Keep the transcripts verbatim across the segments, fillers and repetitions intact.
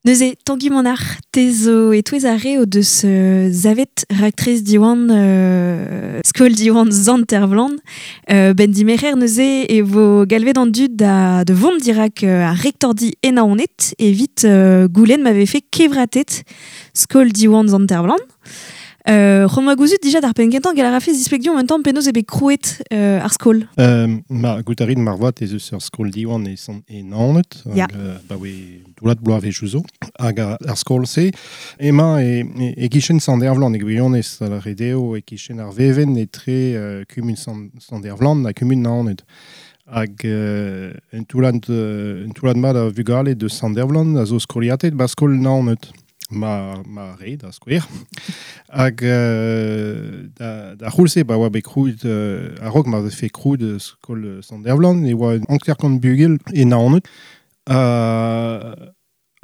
Neuze, Tangi Manac'h, te zo e-touez ar re o deus euh, zavet raktres Diwan, euh, skol Diwan Sant-Ervlan. Euh, ben dimerer neuze e vo galvet an dud da, de vont dirak euh, ar rektordi e Naoned evit euh, goulenn m'avait fait kevratet skol Diwan Sant-Ervlan. Euh, C'hoant oa gouzout dija d'ar penn kentañ gall a rafe zispleg en tamm penaos eo bet krouet euh, ar skol. Euh, ma goût a rin marvat ez eus ur skol Diwan e, sant, e Naoned, Ya. hag, euh, ba oe toullad bloavezhioù zo, hag ar, ar skol-se, emañ e, e, e kichen Sant-Ervlan e gwirionez a lâret eo e kichen ar vevenn etre euh, kumun Sant, Sant-Ervlan ha kumun Naoned. Hag euh, un toullad, euh, un toullad mat a vugale de Sant-Ervlan a zo skoliatet ba skol Naoned. Ma, ma re, da skouer. Hag euh, da, da c'houlz-se ba oa bet krouet euh, a-raok ma vefe krouet euh, skol Sant-Ervlan e oa hanter-kant bugel e Naoned. Euh,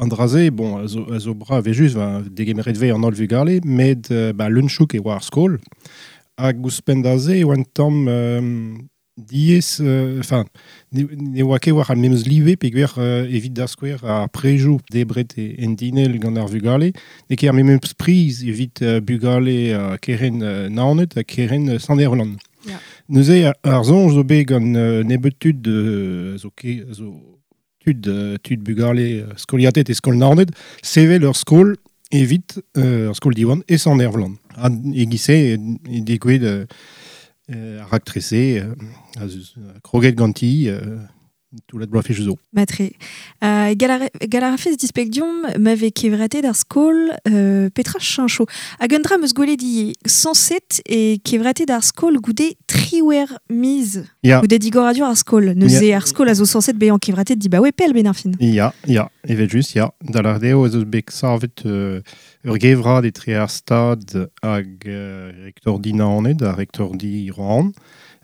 an dra-se, bon, a zo, a zo brav evel-just, ba, degemeret vez an holl vugale, met euh, ba, leun-chouk e oa ar skol. Hag ouzhpenn da se e oa un tamm euh, diaes, enfin, ne, ne oa ket war ar memes live peogwir euh, evit da skouer ar prejoù debret e, en dinell gant ar vugale, n'eo ket ar memes priz evit euh, bugale uh, keren euh, Naoned ha keren euh, Sant-Ervlan. Ya. Neuze ar, ar soñj zo bet gant euh, nebeut tud euh, zo ket, zo tud, euh, tud bugale euh, skoliatet e skol Naoned, sevel ur skol evit euh, ur skol Diwan e Sant-Ervlan. Ha e-giz-se e, e degouezhet euh, euh, ar raktres-se, euh, a zeus, euh, kroget ganti, euh, toullad bloavezhioù zo. Matre. Euh, gall a rafes displeg deomp ma vez kevratet ar skol euh, petra cheñcho. Hag un dra 'm eus gwelet ivez sañset e kevratet ar skol goude triwec'h miz. Ya. Goude digoradur ar skol. Neuze Ya. ar skol a zo sañset bezañ kevratet dibaoe pell 'benn ar fin. Ya, ya, evel-just, ya. Da lâret eo ez eus bet savet euh, ur gevrad etre ar Stad hag euh, rektordi Naoned ha rektordi Roazhon.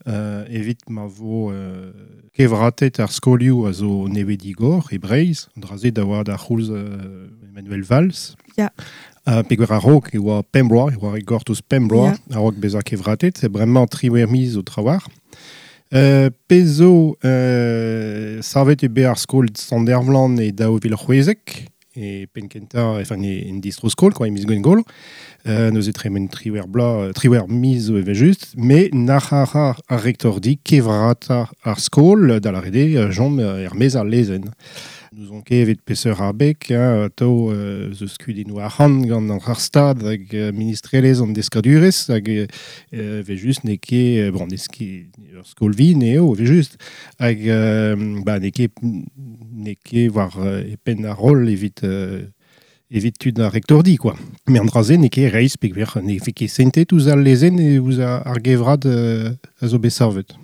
Euh, evit ma vo euh, kevratet ar skolioù a zo nevez digor e Breizh, an dra-se da oa da c'houlz euh, Emmanuel Valls. Ya. Uh, peogwir a-raok e oa pemp bloaz, e oa gortoz pemp bloaz, Ya. a-raok bezañ kevratet, e bremañ triwec'h miz zo trawalc'h. Euh, pezh zo euh, savet eo bet ar skol Sant-Ervlan e daou vil c'hwezek, e penn-kentañ, enfin, e, en distro-skol, quoi, e miz Gwengolo. Euh, neuze tremen triwec'h bloaz, triwec'h miz zo evel-just, met nac'h a ra ar rektordi kevratañ ar skol, da lâret eo, chom er-maez ar lezenn. N'ouzon ket evit peseurt abeg, hein, atav euh, zo kudennoù arc'hant gant an ar Stad hag euh, ministrelezh an deskadurezh hag euh, evel-just n'eo ket, bon, n'eo ket ur skol vihan eo, evel-just, hag euh, ba, n'eo ket, n'eo ket war euh, e penn ar roll evit euh, evit tud ar rektordi, quoi. Met an dra-se n'eo ket reizh peogwir ne vez ket sentet ouzh al lezenn e ouzh ar gevrad euh, a zo bet savet.